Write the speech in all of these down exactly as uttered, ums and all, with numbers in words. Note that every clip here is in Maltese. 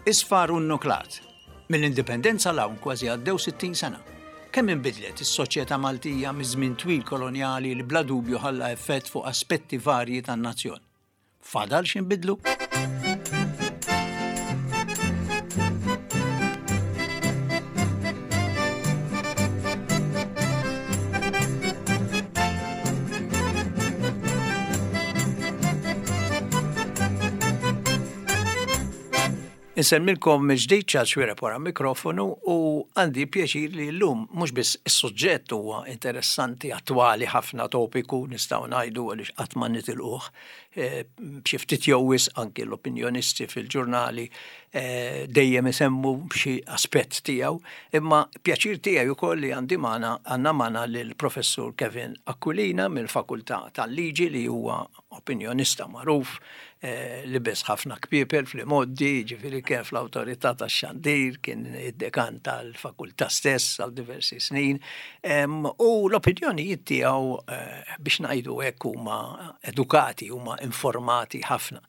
Isfar u nuklat. Mill-indipendenza 'l hawn kważi għaddew sittin sena. Kemm inbidlet is-soċjetà Maltija miż-żmien twil kolonjali li bla dubju ħalla effett fuq aspetti varji tan-nazzjon. Fadal x'inbidlu? Insemmilkom mill-ġdid Charles Xuereb wara mikrofonu u għandi pjaċir li llum mhux biss is-suġġett huwa interessanti, attwali ħafna, topiku nistgħu ngħidu għaliex qatt ma nitilquh, eh, b'xi ftit jew wisq anki l-opinjonisti fil-ġurnali, eh, dejjem isemmu b'xi aspett tiegħu, imma pjaċir tiegħi wkoll li għandi magħna għandna magħna lill-Professur Kevin Aquilina mill-Fakultà tal-Liġi li huwa opinjonista magħruf, eh, li libes ħafna kpiepel fl-imgħoddi, ġifieri kien fl-awtorità tax-xandir, kien id-dekan tal-fakultà stess għal diversi snin, em, u l-opinjonijiet tiegħu, eh, biex ngħidu hekk huma edukati, huma informati ħafna.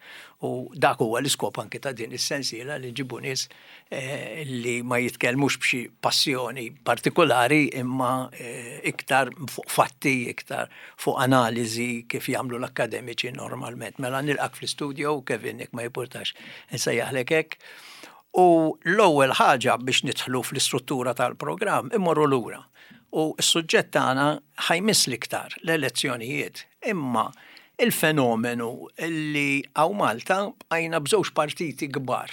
U dak huwa l-iskop anke ta' din is-sensiela li nġibu nies, eh, li ma jitkellmux b'xi passjoni partikolari imma, eh, iktar fuq fatti, iktar fuq analiżi kif jagħmlu l-akademiċi normalment. Mela nilqak fl-istudio, Kevin, jekk ma jimpurtax insejjaħlek hekk. U l-ewwel ħaġa biex nidħlu fl-istruttura tal-programm immorru lura. U s-suġġett tagħna ħajmiss l-iktar l-elezzjonijiet, imma il-fenomenu li hawn Malta bqajna b'żewġ partiti kbar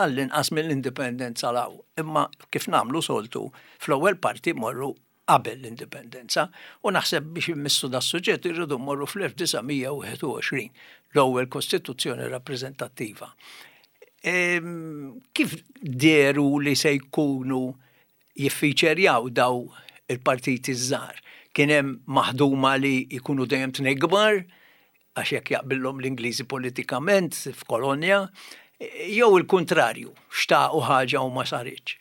għall-inqas mill-indipendenza 'l hawn. Imma kif nagħmlu soltu, fl-ewwel parti morru qabel l-indipendenza u naħseb biex immissu da suġġett irridu mmorru fl-elf disa' mija u wieħed u għoxrin, l-ewwel kostituzzjoni rappreżentattiva. Ehm, kif deru li se jkunu jiffiċerjaw daw il-partiti żgħar? Kien hemm maħduma li jkunu dejjem tnejn kbar, għax jekk jaqbillhom l-Ingliżi politikament f'kolonja, jew il-kuntrarju, xtaqu ħaġa u ma saritx.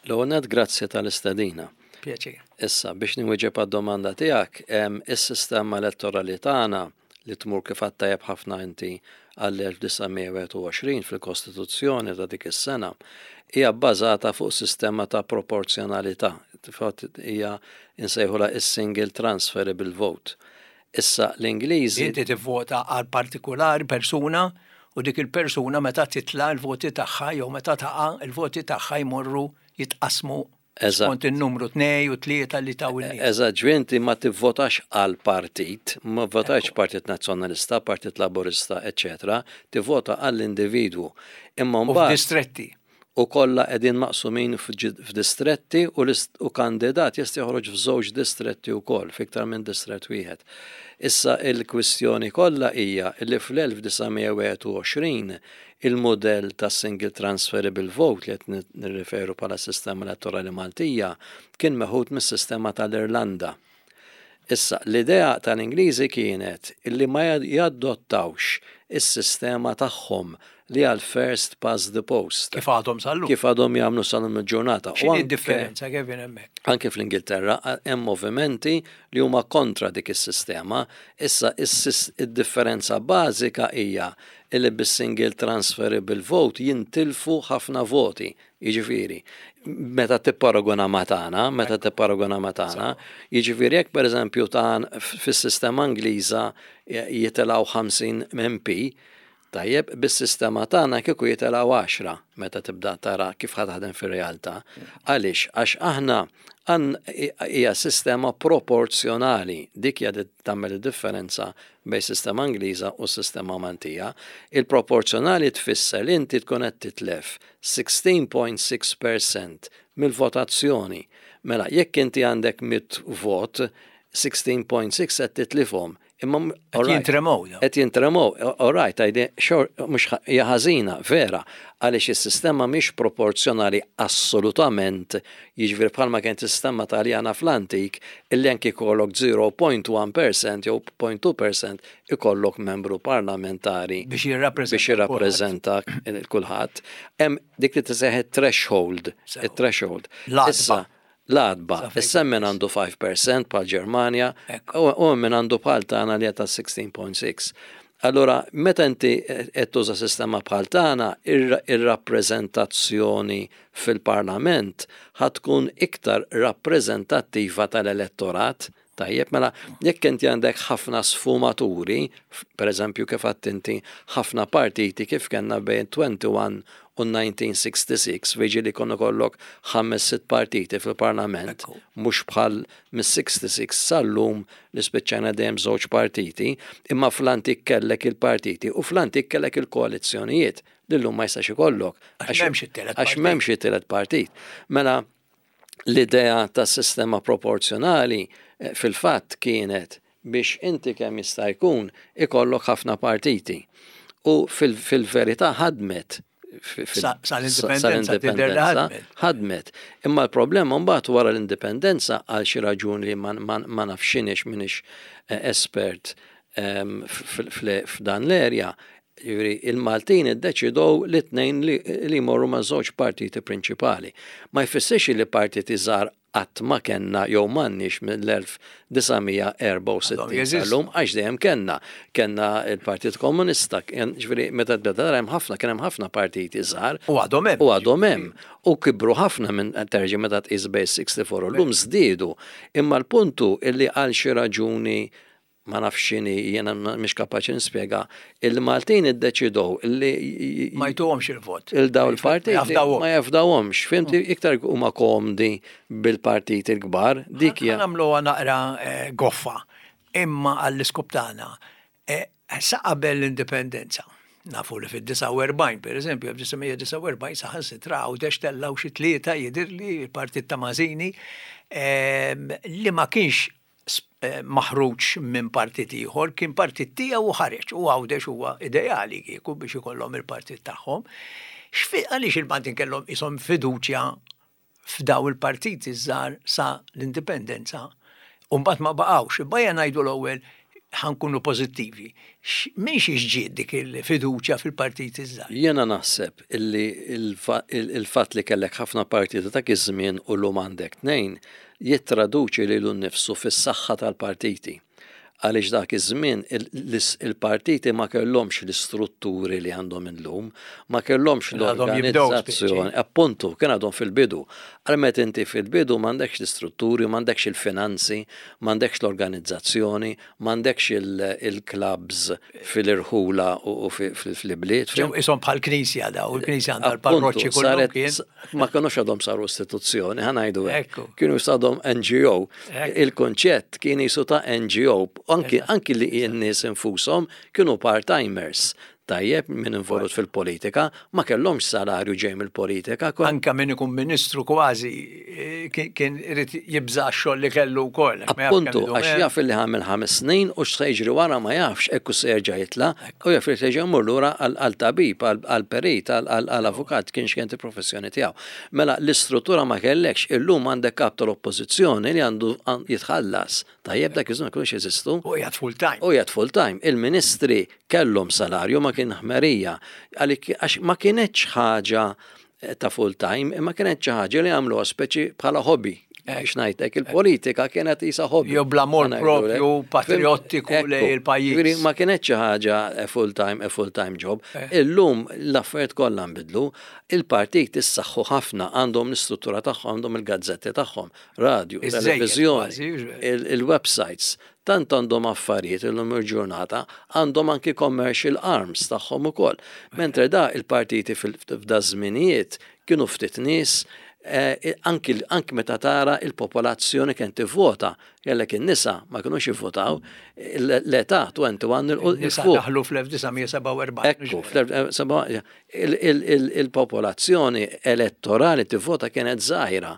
L-ewwel nett, grazzi tal-istedina. Pjaċir. Issa, biex nwieġeb għad-domanda tiegħek, em, is-sistema elettorali tagħna li tmur kif għedt tajjeb ħafna inti għall-elf disa' mija wieħed u għoxrin fil-Kostituzzjoni ta' dik is-sena hija bbażata fuq sistema ta' proporzjonalità. Fatt hija insejħula is-single transferable vote. Issa l-Ingliżi Inti tivvota għal partikolari persuna u dik il-persuna meta titla' l-voti tagħha jew meta taqa' il-voti tagħha jmorru jitqasmu Eżatt. skont in-numru tnej u tlieta li taw in-nies. Eżatt, ġifieri inti ma tivvotax għal partit, ma votax Ekku. Partit Nazzjonalista, Partit Laburista, eċċetera, tivvota għall-individwu. Imma U mbagħad f'distretti. U kollha qegħdin maqsumin f'ġi-, f'distretti u l-ist-, u kandidat jista' joħroġ f'żewġ distretti wkoll, f'iktar minn distrett wieħed. Issa il-kwistjoni kollha hija li fl-elf disa' mija wieħed u għoxrin il-modell ta' single transferable vote li qed ni-, nirriferu bħala sistema elettorali Maltija kien meħud mis-sistema tal-Irlanda. Issa, l-idea tal-Ingliżi kienet illi ma jad-, jadottawx is-sistema tagħhom li għal first past the post. Kif għadhom sal-lum? Kif għadhom jagħmlu sal-lum il-ġurnata. U X'inhi anke d-differenza, Kevin, hemmhekk? Anke fl-Ingilterra hemm movimenti li huma kontra dik is-sistema. Issa is-sis-, id-differenza bażika hija li bis-single transferable vote jintilfu ħafna voti. Jiġifieri, meta tipparagona ma' tagħna, meta Ekku. tipparagona ma' tagħna, jiġifieri jekk pereżempju tan fis-sistema Ingliża jitilgħu ħamsin M P, tajjeb, bis-sistema tagħna kieku jitilgħu għaxra meta tibda tara kif ħa taħdem fir-realtà. Għaliex? Għax aħna għan-, hija sistema proporzjonali, dik hija li tagħmel id-differenza bejn sistema Ingliża u sistema Maltija. Il-proporzjonali tfisser li inti tkun qed titlef sixteen point six percent mill-votazzjoni. Mela, jekk inti għandek mitt vot, sixteen point six qed titlifhom. Imma m-, Qed all right. jintremow, daw. Qed jintremow, all right, għajdi, xor, mhux ħa-, hija ħażina, vera, għaliex is-sistema mhix proporzjonali assolutament, jiġifieri bħalma kienet is-sistema Taljana fl-antik, illi anki jkollok zero point one percent jew point two percent ikollok membru parlamentari Biex jirrappreżenta biex jirrappreżenta kulħadd. kulħadd. Hemm dik li tiseħħ threshold, Sew. it-threshold. L-għatba. Issa, l-għatba. Sa fejn Issa min biss. għandu five percent bħal Ġermanja, Ekku. u, u min għandu bħal tagħna li ta' sixteen point six. Allora, meta inti qed tuża sistema bħal tagħna, ir-rappreżentazzjoni fil-Parlament ħa tkun iktar rappreżentattiva tal-elettorat. Tajjeb, mela, jekk inti għandek ħafna sfumaturi, per eżempju kif għedt inti ħafna partiti kif kellna bejn wieħed u għoxrin u elf disa' mija u sitta u sittin, veġi li konna kollok ħames sitt partiti fil-parlament, mhux bħal mis-sitta u sittin sal-lum li spiċċajna dejjem żewġ partiti, imma fl-antik kellek il-partiti u fl-antik kellek il-koalizzjonijiet li llum ma jistax ikollok. Għax m'hemmx it-tielet Għax m'hemmx it-tielet partit. Mela, l-idea ta' sistema proporzjonali eh, fil-fatt kienet biex inti kemm jista' jkun ikollok ħafna partiti. U fil-verità ħadmet. Sal-indipendenza tidher li ħadmet. Ħadmet. Imma l-problema mbagħad wara l-indipendenza, għal xi raġuni li ma nafx x'inhix, m'iniex eh, espert ehm, f'dan l-erja, il-Maltin iddeċidow li tnejn li jmorru ma' żewġ partiti prinċipali. Ma jfissirx li partiti żgħar qatt ma kellna jew m'għandniex mill-elf disa' mija u erbgħa u sittin sal-lum, għax dejjem kellna. Kellna il-Partit Komunista, ġifieri meta tbeda hemm ħafna, kien hemm ħafna partiti żgħar. U għadhom hemm. U għadhom hemm. U kibru ħafna minn terġi meta tqis bejn sitta u sittin u llum żdiedu. Imma l-puntu illi għal xi raġuni, ma nafx x'inhi, jiena mhix kapaċi nispjega, il-Maltin iddeċidow li ma jtuhomx il-vot. Il-daw il-partiti ma jafdawhomx, fhimt, iktar huma komdi bil-partiti l-kbar, dik hija. Nagħmluha naqra eh, goffa, imma għall-iskop tagħna. Eh, sa qabel l-indipendenza. Nafu li fid-disgħa u erbgħin, per eżempju, elf disa' mija u disgħa u erbgħin saħansitra Għawdex tellaw xi tlieta, jidhirli, il-partit ta' Mazzini, ehm, li ma kienx eh, maħruġ minn partit ieħor, kien partit tiegħu u ħareġ, u Għawdex huwa ideali kieku biex ikollhom il-partit tagħhom. Għaliex il-Maltin kellhom ishom fiduċja f'daw il-partiti żgħar sa l-indipendenza u mbagħad ma baqgħux? Bajja ngħidu l-ewwel ħa nkunu pożittivi. Min xiex ġiet dik il-fiduċja fil-partiti żgħar? Jiena naħseb illi il-fatt li kellek ħafna partiti dak iż-żmien u llum għandek tnejn jittraduċi lilu nnifsu fis-saħħa tal-partiti. Għaliex dak iż-żmien il-partiti ma kellhomx l-istrutturi li għandhom illum, ma kellhomx l-organizzazzjoni. Appuntu, kien għadhom fil-bidu. Għal meta inti fil-bidu m'għandekx l-istrutturi, m'għandekx il-finanzi, m'għandekx l-organizzazzjoni, m'għandekx il-clubs fil-irħula u fil-bliet. Ġew ishom bħal knisja daw, il-knisja għandha l-parroċċi kollu kien. Ma kienux għadhom saru istituzzjoni, ħa ngħidu hekk. Kienu għadhom N G O. Il-konċett kien jisu ta' N G O, anki, anki li n-nies infushom kienu part-timers. Tajjeb, min involut fil-politika, ma kellhomx salarju ġej mill-politika. Anka min ikun ministru kważi eh, kien irid jibża' x-xogħol li kellu wkoll. Appuntu, għax jaf li għamel ħames snin u x'se jiġri wara ma jafx, ekku se jerġa' jitla' u jaf li terġa' jmur lura għal tabib, għal perit, għal avukat, kien x'kien il-professjoni tiegħu. Mela l-istruttura ma kellekx, illum għandek kap tal-oppożizzjoni li għandu jitħallas. Tajjeb, dak iż-żmien kienux jeżistu. U qiegħed full time. U qiegħed full time. Il-ministri kellhom salarju, ma kien ħmerija. Għax ma kienetx ħaġa ta' full time, imma kienet xi ħaġa li għamluha speċi bħala hobby. Biex ngħidlek, il-politika kienet isa hobby. Jew bl-amor propju patriottiku lejn il-pajjiż. Ma kienet xi ħaġa full time, a full time job. Illum l-affarijiet kollha nbidlu, il-partit issaħħu ħafna, għandhom l-istruttura tagħhom, għandhom il-gazzetti tagħhom, radio, televiżjoni, il-websites, tant għandhom affarijiet illum il-ġurnata, għandhom anki commercial arms tagħhom ukoll. Mentre da il-partiti f'da żminijiet kienu ftit nies, eh, anki, anki meta tara il-popolazzjoni kien tivvota, kellek in-nisa ma kinux jivvotaw, l-età wieħed u għoxrin Il-nisa daħlu fl-elf disa' mija u sebgħa u erbgħin. Ekku, il-popolazzjoni elettorali tivvota kienet żgħira.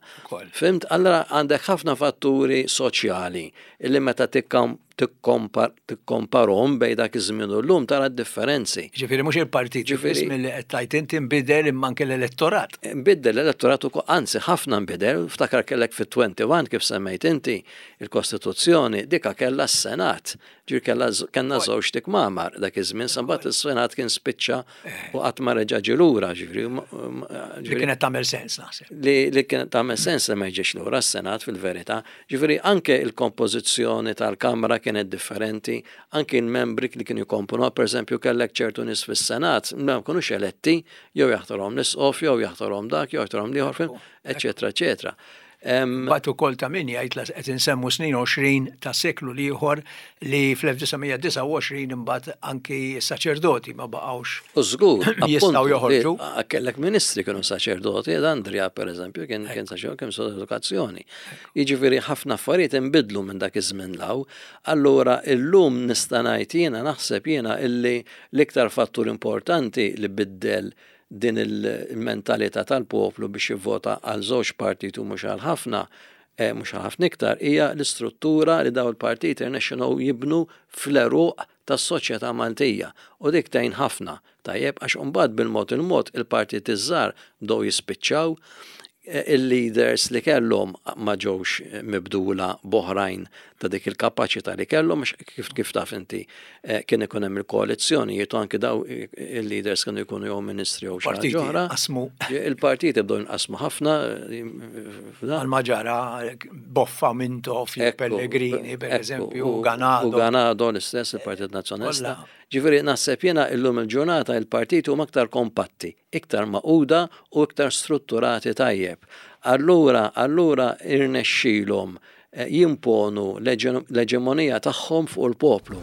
Fhimt, allora għandek ħafna fatturi soċjali illi meta tikkomparhom bejn dak iż-żmien u llum tara d-differenzi. Ġifieri mhux il-partit Ġifieri- mill-li qed tgħid inti nbidel imma anke l-elettorat. Nbiddel l-elettorat ukoll, anzi ħafna nbidel, ftakar kellek fit-wieħed u għoxrin kif semmejt inti il-Kostituzzjoni, dika kella s-Senat, ġir kella kellna żewġ kmamar dak iż-żmien, sambat is-Senat kien spiċċa u qatt ma reġa' ġie lura, ġifieri. Li kienet tagħmel sens, naħseb. Li, li kienet tagħmel sens li ma jiġix lura s-Senat fil-verità. Ġifieri anke il-kompożizzjoni tal-Kamra kienet differenti, anki l-membri li kienu jkomponu, per eżempju kellek ċertu nies fis-Senat, ma kinux eletti, jew jaħtorhom l-isqof, jew jaħtorhom dak, jew jaħtorhom l-ieħor, eċetera, eċetera. Mbagħad ukoll ta' min jgħid la qed insemmu snin għoxrin ta' seklu l-ieħor li fl-elf disa' mija disgħa u għoxrin imbagħad anki saċerdoti ma baqgħux U żgur, jistgħu appuntu, joħorġu. li kellek ministri kienu saċerdoti, ed Andrea per eżempju kien kien saċerdoti, kien sod edukazzjoni. Jiġifieri ħafna affarijiet inbidlu minn dak iż-żmien law. Allura illum nista' ngħid jiena naħseb jiena illi l-iktar fattur importanti li biddel din il-mentalità tal-poplu biex jivvota għal żewġ partiti u mhux għal ħafna, eh, mhux għal ħafna iktar, hija l-istruttura li daw il-partiti rnexxinhom jibnu fl-għeruq tas-soċjetà Maltija. U dik tgħin ħafna, tajjeb, għax imbagħad bil-mod il-mod il-partiti żgħar bdew jispiċċaw, eh, il-leaders li kellhom ma ġewx mibdula b'oħrajn ta' dik il-kapaċità li kellhom, għax kif, kif taf inti, eh, kien ikun hemm il-koalizzjonijiet u anke daw il-leaders kienu jkunu jew ministri jew xi ħaġa Partiti oħra. qasmu. Il-partiti bdew jinqasmu ħafna, eh, f'dan. Għal ma ġara Boffa, Mintoff, Ekku, Pellegrini, per ekku, eżempju, u Ganado. U Ganado l-istess, il-Partit Nazzjonalista. Kollha. Ġifieri naħseb jiena illum il-ġurnata il-partiti huma aktar kompatti, iktar maquda u iktar strutturati tajjeb. Allura, allura irnexxilhom, eh, jimponu l-eġemonija tagħhom fuq il-poplu.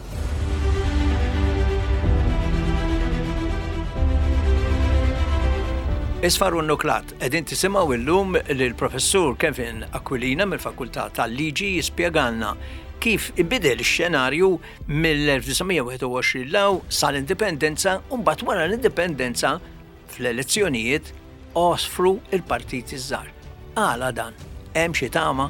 Isfar u Nuklat, qegħdin tisimgħu illum lill-Professur Kevin Aquilina mill-Fakultà tal-Liġi jispjegalna kif inbidel ix-xenarju mill-elf disa' mija wieħed u għoxrin law sal-indipendenza u mbagħad wara l-indipendenza fl-elezzjonijiet għosfru il-partiti żgħar. Għala dan, hemm xi tama?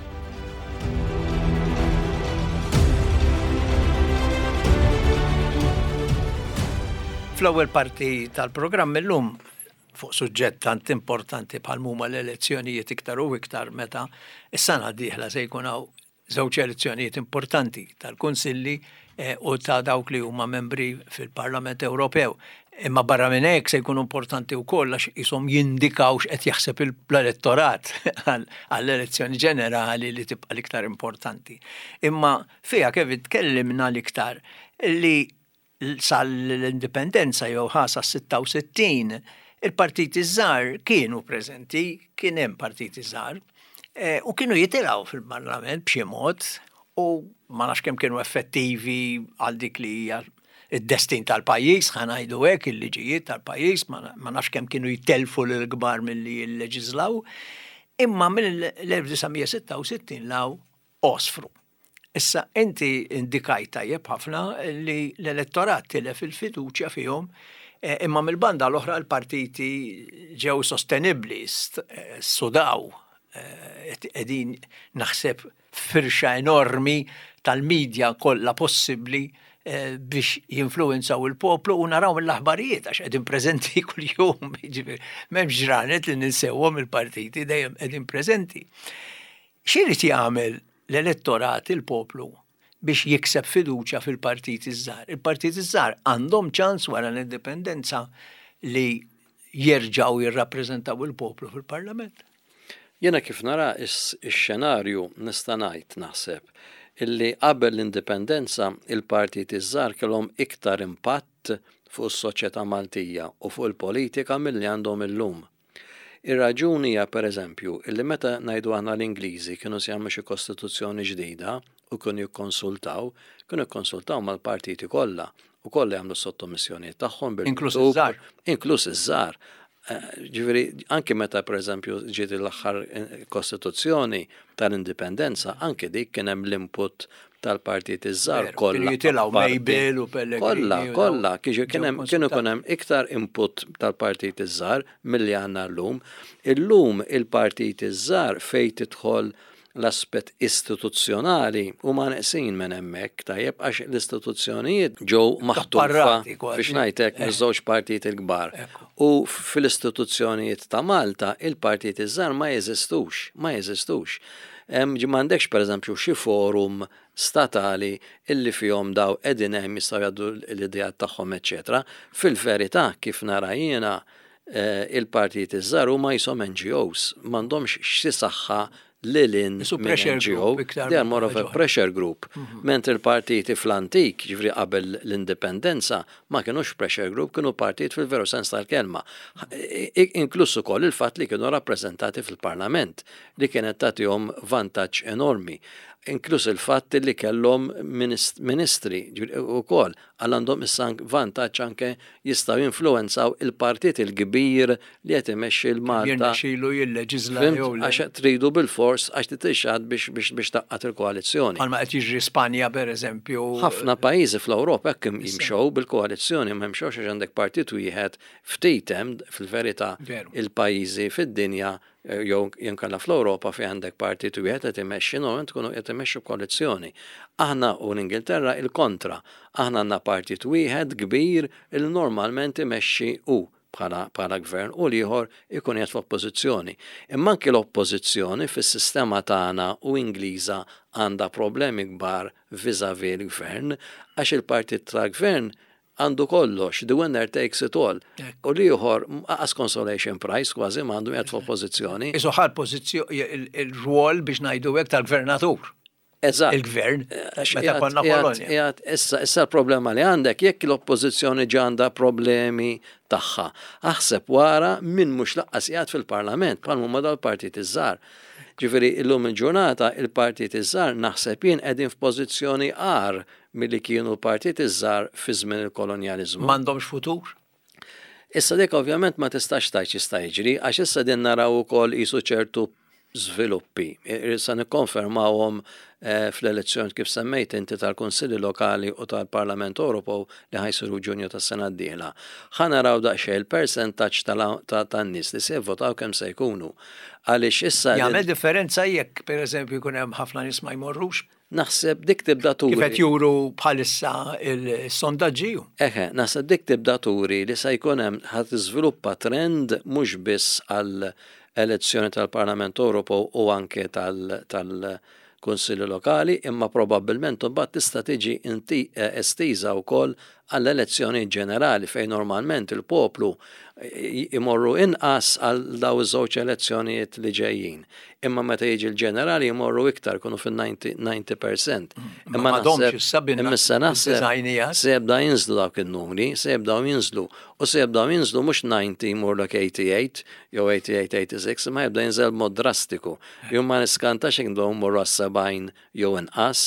Fl-ewwel parti tal-programm illum fuq suġġett tant importanti bħal huma l-elezzjonijiet iktar u iktar meta s-sena d-dieħla se jkun hawn żewġ elezzjonijiet importanti tal-Kunsilli, eh, u ta' dawk li huma membri fil-Parlament Ewropew. Imma barra minn hekk se jkunu importanti wkoll għax ishom jindikaw x'qed jaħseb l-elettorat għal-, għall-elezzjoni ġenerali li tibqa' l-iktar importanti. Imma fiha kif tkellimna l-iktar li sal-indipendenza jew ħasa sitta u sittin il-partiti żgħar kienu preżenti, kien hemm partiti żgħar, eh, u kienu jitilgħu fil-Parlament b'xi mod u ma nafx kemm kienu effettivi għal dik li hija id-destin tal-pajjiż, ħa ngħidu hekk, il-liġijiet tal-pajjiż, ma na-, ma nafx kemm kienu jtelfu lill-kbar milli jilleġislaw, imma mill-elf disa' mija sitta u sittin law għosfru. Issa inti indikajt tajjeb ħafna li l-elettorat tilef il-fiduċja fihom, eh, imma mill-banda l-oħra l-partiti ġew sostenibbli, st-, eh, sudaw, eh, qegħdin naħseb firxa enormi tal-medja kollha possibbli, eh, biex jinfluwenzaw il-poplu u naraw mill-aħbarijiet għax qegħdin preżenti kuljum, jiġifieri m'hemmx ġranet li ninsewhom il-partiti dejjem qegħdin preżenti. X'irid jagħmel l-elettorat, il-poplu, biex jikseb fiduċja fil-partiti żgħar? Il-partiti żgħar għandhom ċans wara l-indipendenza li jerġgħu jirrappreżentaw il-poplu fil-Parlament. Jiena kif nara is-, ix-xenarju nista' ngħid naħseb illi qabel l-indipendenza il-partiti żgħar kellhom iktar impatt fuq is-soċjetà Maltija u fuq il-politika milli għandhom illum. Ir-raġuni hija pereżempju illi meta ngħidu aħna l-Ingliżi kienu se jagħmlu xi kostituzzjoni ġdida u kienu jikkonsultaw, kienu jikkonsultaw mal-partiti kollha u kollha jagħmlu s-sottomissjonijiet tagħhom bil-miktub, Inkluż iż-żgħar. Inkluż iż-żgħar. Eh, ġifieri, anke meta pereżempju ġiet l-aħħar, eh, kostituzzjoni tal-indipendenza, anke dik kien hemm l-input tal-partiti żgħar Veru, kollha. kienu jitilgħu Parti. Mabel u Pellegrini Kollha, u dawn kollha, kieġu kien ġew hemm, kienu konsultati. ikun hemm iktar input tal-partiti żgħar milli għandna llum. Illum il-partiti żgħar fejn tidħol l-aspett istituzzjonali huma neqsin minn hemmhekk, tajjeb, għax l-istituzzjonijiet ġew maħtufa Tapparati kważi. biex ngħidlek Eh. miż-żewġ partiti l-kbar. Ekku. U fil-istituzzjonijiet ta' Malta il-partiti żgħar ma jeżistux, ma jeżistux. Hemm ġi m'għandekx pereżempju xi forum statali illi fihom daw qegħdin hemm jistgħu jgħaddu l-ideat tagħhom, eċċetera. Fil-verità kif nara jiena, eh, il-partiti żgħar huma jisom N G Os, m'għandhomx xi saħħa lil hinn Isu pressure N G O, group iktar they are more of a minn pressure group. Mm -hmm. Mentri l-partiti fl-antik, ġifieri qabel l-indipendenza, ma kienux pressure group, kienu partit fil-veru sens tal-kelma. Inkluż ukoll il-fatt li kienu rappreżentati fil-parlament, li kienet tagħtihom vantaġġ enormi. Inkluż il-fatt li kellhom ministri ukoll, għal għandhom issa vantaġġ, anke jistgħu jinfluwenzaw il-partit il-kbir li qed imexxi l-Malta. Jirnexxielu jilleġiżla jew le. Għax tridu bil-fors, għax titixxad biex biex biex tgħaqqad il-koalizzjoni. Bħalma qed jiġri Spanja, per eżempju. Ħafna pajjiżi fl-Ewropa hekk jimxew bil-koalizzjoni, ma jimxewx għax għandek partit wieħed. Ftit hemm fil-verità Veru. il-pajjiżi fid-dinja eh, jew inkella fl-Ewropa fejn għandek partit wieħed qed imexxi, normalment tkunu qed imexxu koalizzjoni. Aħna u l-Ingilterra il-kontra. Aħna għandna partit wieħed kbir il normalment imexxi u bħala, bħala gvern u l-ieħor ikun qiegħed f'oppożizzjoni. Imma anke l-oppożizzjoni fis-sistema tagħna u Ingliża għandha problemi kbar vis-à-vis l-gvern, għax il-partit tal-gvern għandu kollox, the winner takes it all. Ekku. U l-ieħor qas consolation prize kważi m'għandu, qiegħed f'oppożizzjoni. Isu ħal pożizzjoni, il-rwol, biex ngħidu hekk, tal-gvernatur. Eżatt. Il-gvern, Għax meta qiegħed- konna qiegħed- kolonja. qiegħed- Issa, issa l-problema li għandek, jekk l-oppożizzjoni ġa għandha problemi tagħha, aħseb wara min mhux lanqas qiegħed fil-parlament, bħal huma dal-partit iż-żgħar. Ġifieri illum il-ġurnata il-partit iż-żgħar naħseb jien qegħdin f'pożizzjoni agħar milli kienu l-partit iż-żgħar fi żmien il-kolonjaliżmu. M'għandhomx futur. Issa dik ovvjament ma tistax tgħid x'jista' jiġri, għax issa din naraw ukoll qisu ċertu żviluppi. Issa nikkonfermawhom eh, fl-elezzjoni, kif semmejt inti, tal-Kunsilli Lokali u tal-Parlament Ewropew li ħa jsiru Ġunju tas-sena d-dieħla. Ħa naraw daqsxejn il-persentaġġ tal- tan-nies li se jivvotaw kemm se jkunu. Għaliex issa Jagħmel differenza jekk, per eżempju, jkun hemm ħafna nies ma jmorrux? Naħseb dik tibda turi. Kif qed juru bħalissa il-sondaġġi. Eħe, naħseb dik tibda turi li se jkun hemm, ħa tiżviluppa trend mhux biss għal elezzjoni tal-Parlament Ewropew u anke tal- tal-Kunsilli Lokali, imma probabbilment imbagħad tista' tiġi inti eh, estiża wkoll għall-elezzjoni ġenerali, fejn normalment il-poplu eh, imorru inqas għal daw iż-żewġ elezzjonijiet li ġejjin. Imma meta jiġi l-ġenerali jmorru iktar, kunu fil-disgħin fil-mija. Ma m'għadhomx issa binna Imma issa naħseb id-dizajnijat. se jibda jinżlu dawk il-numri, se jibdaw jinżlu. U se jibdaw jinżlu mhux disgħin jmurlok tmienja u disgħin jew tmienja u disgħin, tmienja u disgħin, ma jibda jinżel mod drastiku. Jum ma niskantax jekk nibdew mmorru għas-sebgħin jew inqas.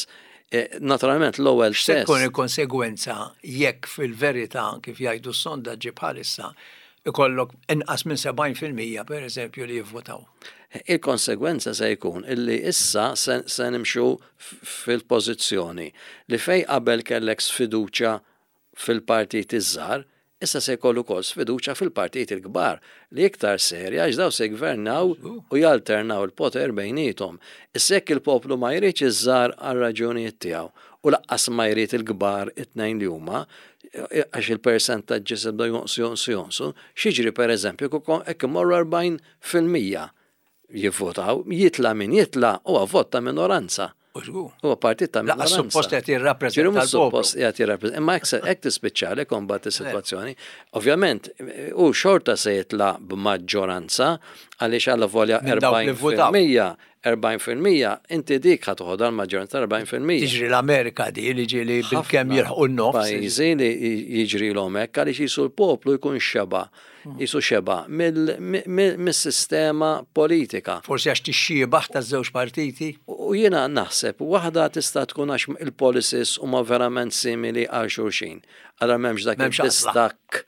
E, Naturalment l-ewwel X'se test. tkun il-konsegwenza jekk fil-verità, kif jgħidu s-sondaġġi bħalissa, ikollok inqas minn sebgħin fil-mija, per eżempju, li jivvotaw? Il-konsegwenza se jkun illi issa se, se nimxu f- fil-pożizzjoni li fej qabel kellek sfiduċa fil-partit iż-żgħar, issa se jkollu wkoll sfiduċa fil-partit il-kbar, li iktar serja, għax daw se jgvernaw u jalternaw il-poter bejniethom. Issa jekk il-poplu ma jridx iż-żgħar għal raġunijiet tiegħu u lanqas ma jrid il-kbar it-tnejn li huma, għax il-persentaġġi se jibdew jonqsu, jonqsu, jonqsu, x'jiġri, per eżempju jekk imorru erbgħin fil-mija jivvotaw? Jitla min jitla, huwa vot ta' minoranza. U żgur. Huwa partit ta' Lanqas minoranza. suppost qed jirrappreżenta Ġifieri mhux l-poplu. suppost qiegħed jirrappreżenta. Imma hekk se- hekk tispiċċalek imbagħad is-sitwazzjoni. Ovvjament, u xorta se jitla b'maġġoranza, għaliex għalla volja Minn dawk li votaw. erbgħin fil-mija, erbgħin fil-mija, inti dik ħa toħodha l-maġġoranza erbgħin fil-mija. Tiġri l-Amerika di li ġieli bil-kemm jilħqu n-nofs. Pajjiżi li jiġri l hekk għaliex jisu l-poplu jkun xeba, jisu xeba mill- mi- mis-sistema politika. Forsi għax tixxiebaħ ta' żewġ partiti. U jiena naħseb, waħda tista' tkun għax il-policies huma verament simili għal xulxin. Allora m'hemmx dak M'hemmx għażla. il-distakk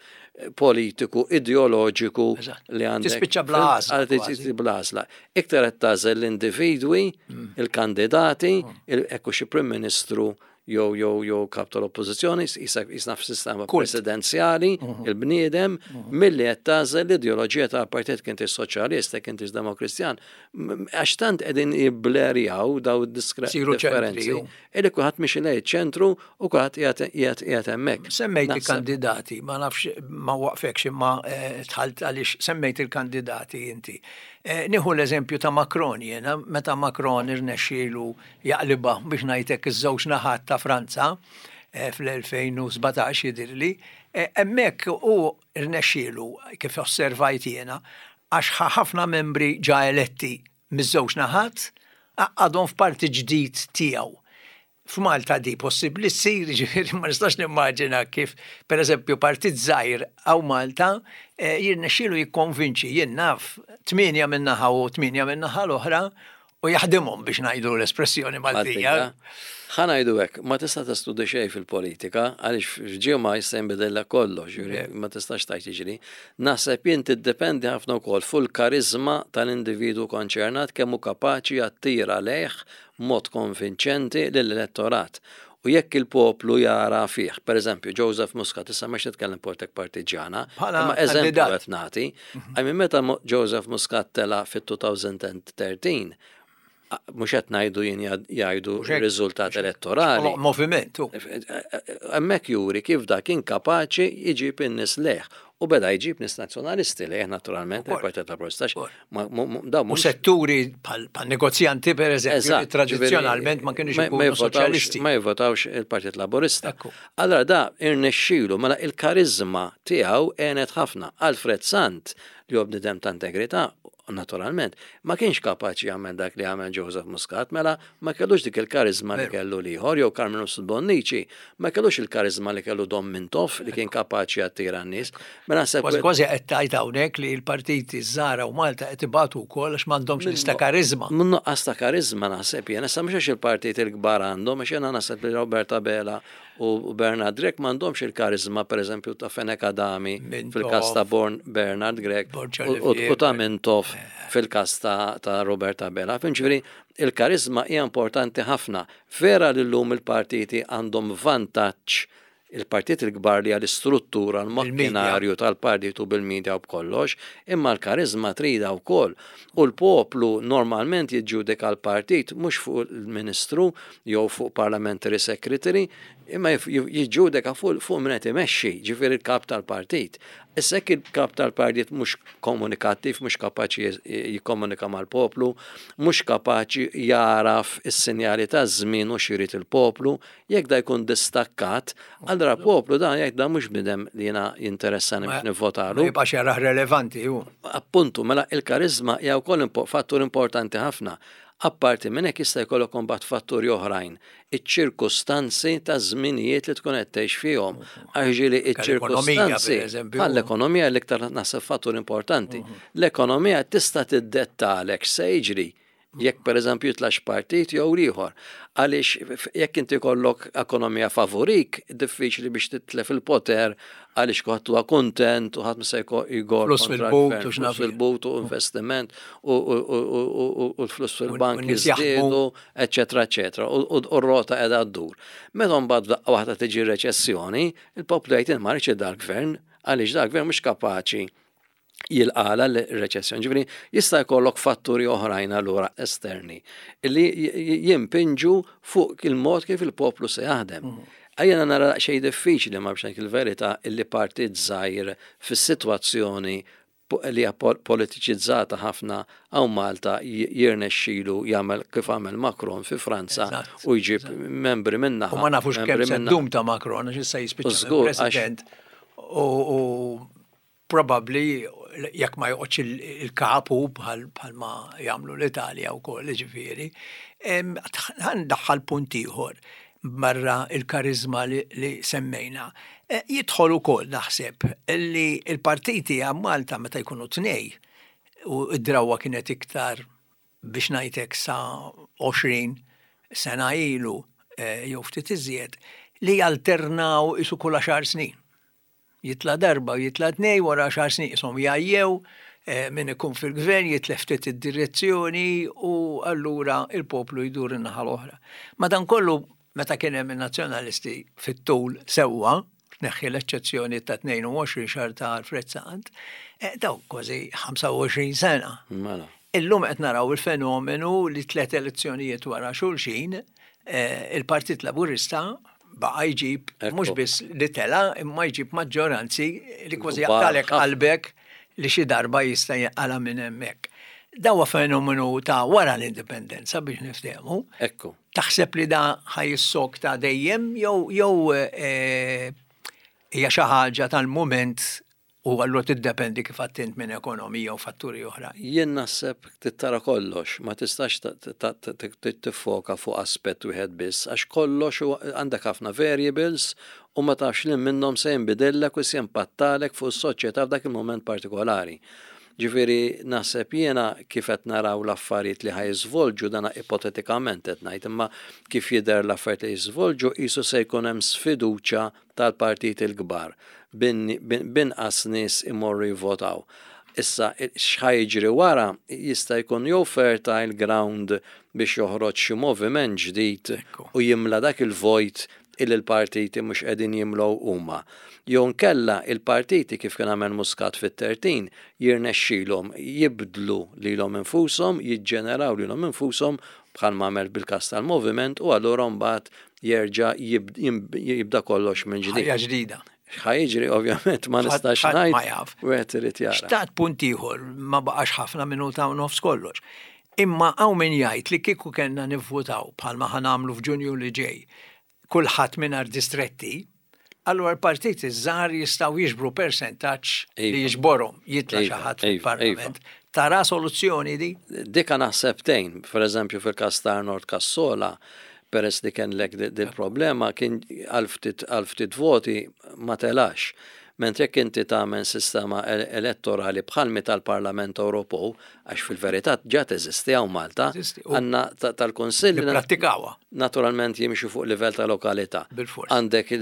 politiku, ideoloġiku Eżatt. li għandek. Tispiċċa bla għażla Għal kważi. tispiċċa bla għażla. Iktar qed tagħżel l-individwi, Mm. il-kandidati, il- ekku xi Prim Ministru jew jew jew kap tal-oppożizzjoni, jisna f'sistema Kult. presidenzjali, Mhm. il-bniedem, milli qed tagħżel l-ideoloġija tal-partit, kien soċjalista, kien demokristjan. M- Għax tant qegħdin jiblerjaw daw Siru ċentri, id-differenzi. ju. Illi kulħadd mixi lejn ċentru u kulħadd qiegħed qiegħed qiegħed hemmhekk. Semmejt Naħseb- il-kandidati, ma nafx ma waqfekx, imma eh, dħalt għaliex semmejt il-kandidati inti. Eh, Nieħu l-eżempju ta' Macron jena, meta Macron irnexxielu jaqliba, biex ngħidlek, iż-żewġ naħat ta' Franza eh, fl-elfejn u sbatax jidirli, eh, hemmhekk u irnexxielu, kif osservajt jena, għax ħa ħafna membri ġa eletti miż-żewġ naħat. Għaqqadhom f'partit ġdid tiegħu. F'Malta di possibbli ssir, ġifieri ma nistax nimmaġina kif, per eżempju, partit żgħir hawn Malta eh, jirnexxielu jikkonvinċi, jien naf, tmienja minn naħa u tmienja minn naħa l-oħra u jaħdimhom, biex ngħidu l-espressjoni Maltija. Ħa ngħidu hekk, ma tista' testudi xejn fil-politika, għaliex f'ġimgħa jista' jinbidel kollox, ġifieri ma tistax tgħid jiġri. Naħseb jien tiddependi ħafna wkoll fuq il-karizma tal-individu konċernat, kemm hu kapaċi jattira lejh mod konvinċenti lill-elettorat. U jekk il-poplu jara fih, per eżempju, Joseph Muscat, issa mhux nitkellem politik partiġjana, Bħala imma eżempju kandidat. qed nagħti, I mean, meta Mo- Joseph Muscat tela fit-elfejn u tlettax, mhux qed ngħidu jien, jgħidu Mhux hekk, riżultat elettorali. Moviment. u. Hemmhekk juri kif da kien kapaċi jġib in-nies lejh. U beda jġib nies nazzjonalisti lejh naturalment, Ukoll. il-Partit Laburista. Ukoll. Ma- mu- mu- Da U mhux setturi bħal bħal negozjanti, per eżempju, li Eżatt, tradizzjonalment ma ġifieri, kienux ma- ma ikunu jivvotawx- soċjalisti. Ma jivvotawx il-Partit Laburista. Ekku. Allora da irnexxielu, mela il-karizma tiegħu għenet ħafna. Alfred Sant, li hu bniedem ta' integrità, naturalment, ma kienx kapaċi jagħmel dak li għamel Joseph Muscat, mela ma kellux dik il-karizma li Veru. kellu l-ieħor, jew Carmenu Bonnici, ma kellux il-karizma li kellu Dom Mintoff, li kien kapaċi jattira n-nies. Mela naħseb Kważi kważi qed tgħid hawnhekk li l-partiti żgħar hawn Malta qed ibatu wkoll għax m'għandhomx lista karizma. Mun nuqqas ta' karizma naħseb jien, issa mhux għax il-partit il-kbar għandhom, għax jiena naħseb li Robert Abela u Bernard Grech m'għandhomx il-karizma, per eżempju, ta' Fenech Adami Mintoff. fil-każ ta' Born Bernard Grech Borg u- u u ta' Olivier. Mintoff fil-każ ta' ta' Robert Abela. Ġifieri il-karizma hija importanti ħafna. Vera li llum il-partiti għandhom vantaġġ, il-partit il-kbar li għal-istruttura, l-makkinarju tal-partitu bil-medja u b'kollox, imma l-karizma trida wkoll. U l-poplu normalment jiġġudika l-partit mhux fuq il-ministru jew fuq parliamentary secretary, imma jif- jiġġudika fuq fuq min qed imexxi, ġifieri il-kap tal-partit. Issa jekk il-kap tal-partit mhux komunikattiv, mhux kapaċi jikkomunika mal-poplu, mhux kapaċi jaraf is-sinjali ta' żmien u x'irid il-poplu, jekk da jkun distakkat, allura poplu dan jgħid: "Da mhux bniedem li jiena jinteressani biex Ma nivvotalu." jibqax jarah relevanti hu. Appuntu, mela il-karizma hija wkoll impo- fattur importanti ħafna. Apparti minn hekk jista' jkollok imbagħad fatturi oħrajn, iċ-ċirkustanzi ta' żminijiet li tkun qed tgħix fihom. Għax ġieli L-ekonomija, iċ-ċirkustanzi per eżempju. Bħal l-ekonomija, l-iktar naħseb fattur importanti. L-ekonomija tista' tiddettalek se jiġri jekk per eżempju jitlax partit jew ieħor. Għaliex jekk inti kollok ekonomija favorik, diffiċli biex titlef il-poter, għaliex kulħadd huwa kontent u ħadd ma se jgor Flus kontra fil-but l-gvern, u x'naf flus fil-but u investiment u u- u- u- u- u l-flus fil-bank u n-nies jaħdmu. jiżdiedu, eċetera, eċetera. U u- u r-rota qiegħda ddur. Meta mbagħad daqqa waħda tiġi reċessjoni, il-poplu jgħid: "Ma rridx dal-gvern, għaliex dal-gvern mhux kapaċi jilqala l-reċessjoni." Ġifieri jista' jkollok fatturi oħrajn allura esterni li jimpinġu fuq il-mod kif il-poplu se jaħdem. Ejja nara xejn diffiċli, ma biex il-verità, illi partit żgħir fis-sitwazzjoni li hija politiċizzata ħafna hawn Malta jirnexxilu jagħmel kif għamel Macron fi Franza u jġib membri minna. U ma nafux kemm se ddum ta' Macron, għax issa jispiċċa president. U probabbli jekk ma joqgħodx il-kapu bħal ma jagħmlu l-Italja wkoll, ġifieri. Ħa ndaħħal punt ieħor barra il-karizma li, li semmejna. E, jidħol ukoll naħseb li il-partiti hawn Malta meta jkunu tnej, u id-drawa kienet iktar, biex ngħidlek, sa għoxrin sena ilu e, jew ftit iżjed, li jalternaw isu kull għaxar snin. Jitla darba u jitla tnej, wara għaxar snin isom jgħajjew, e, min ikun fil-gvern jitlef ftit id-direzzjoni u allura il-poplu jdur in-naħa l-oħra. Madankollu, meta kien hemm in-nazzjonalisti fit-tul sewwa, tneħħi l-eċċezzjoni ta' tnejn u għoxrin xahar ta' Alfred Sant, eh, daw kważi ħamsa u għoxrin sena. Mela. Illum qed naraw il-fenomenu li tliet elezzjonijiet wara xulxin, eh, il-Partit Laburista baqa' jġib mhux biss li tela, imma jġib maġġoranzi li kważi jaqtalek qalbek li xi darba jista' jaqala minn hemmhekk. Dawa fenomenu ta' wara l-indipendenza, biex niftehmu. Ekku. Taħseb li da ħa jissokta dejjem jew jew eh, hija xi ħaġa tal-mument? U allura tiddependi kif attint minn ekonomija u fatturi oħra. Jien naħseb trid tara kollox, ma tistax tiffoka fuq aspett wieħed biss, għax kollox għandek ħafna variables u ma tafx li minnhom se jinbidillek u se jimpattalek fuq is-soċjetà f'dak il-moment partikolari. Ġifieri naħseb jiena kif qed naraw l-affarijiet li ħa jiżvolġu, dana ipotetikament qed ngħid, imma kif jidher l-affarijiet li jiżvolġu, qisu se jkun hemm sfiduċja tal-partit il-kbar, binqas nies imorru jivvotaw. Issa, x'ħa jiġri wara jista' jkun jew fertile ground biex joħroġ xi moviment ġdid u jimla dak il-vojt illi l-partiti mhux qegħdin jimlow huma. Jew nkella il-partiti, kif kien għamel Muscat fit-tlettax, jirnexxilhom jibdlu lilhom infushom, jiġġeneraw lilhom infushom bħal għamel bil-kas tal-moviment, u allura mbagħad jerġa' jibda kollox minn ġdid. Ħajja ġdida. X'ħa jiġri ovvjament ma nistax ngħid. Ma jaf. Wieħed irid jara. Xtaqt punt ieħor, ma baqax ħafna, minuta u nofs kollox. Imma hawn min jgħid li kieku kellna nivvutaw bħalma ħa nagħmlu f'Ġunju li ġej, kulħadd mingħajr distretti, allura l-partiti żgħar jistgħu jiġbru persentaġġ li Iva. jiġborhom jitla' xi Iva, ħadd iva, fil-Parlament. Tara soluzzjoni di? Dika naħseb tgħin, per eżempju fil-kas ta' Arnold Cassola, peress li kien lek dil-problema, kien għal ftit voti ma telax. Mentre jekk inti tagħmel sistema elettorali bħalmi tal-Parlament Ewropew, għax fil-verità ġa teżisti hawn Malta, għandna tal-Kunsill. Prattikawha. Naturalment jimxu fuq livell ta' lokalità. Bil-fors. Għandek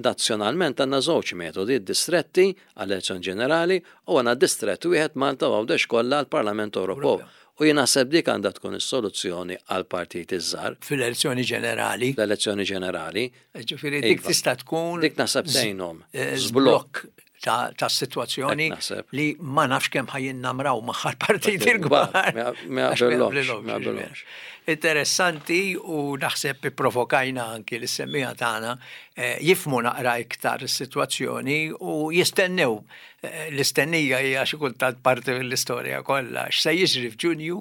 nazzjonalment għandna żewġ metodi, distretti għall-elezzjoni ġenerali u għandna distrett wieħed Malta u Għawdex kollha għall-Parlament Ewropew. U jien naħseb dik għandha tkun is-soluzzjoni għal partiti żgħar. Fil-elezzjoni ġenerali. Fl-elezzjoni ġenerali. Ġifieri dik Iva. tista' tkun Dik naħseb tgħinhom. Eh, Żblokk. Żblokk ta' ta' situazzjoni Hekk naħseb. li ma nafx kemm ħa jinnamraw magħha l-partiti l-kbar. Ma ma Għax ma jaqbellhomx, jaqblilhomx, ma jaqbellhomx. Interessanti, u naħseb provokajna anki l-semmiegħa tagħna eh, jifhmu naqra iktar is-sitwazzjoni u jistennew. Eh, L-istennija hija xi kultant parti mill-istorja kollha. X'se jiġri f'Ġunju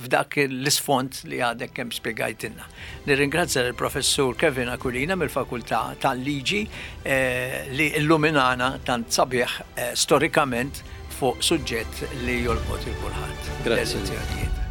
f'dak l-isfond li għadek kemm spjegajtilna. Nirringrazzja lill-Professur Kevin Aquilina mill-Fakultà tal-Liġi eh, li illuminana tant sabiħ eh, storikament fuq suġġett li jolqot il kulħadd. Grazzi. L-elezzjonijiet.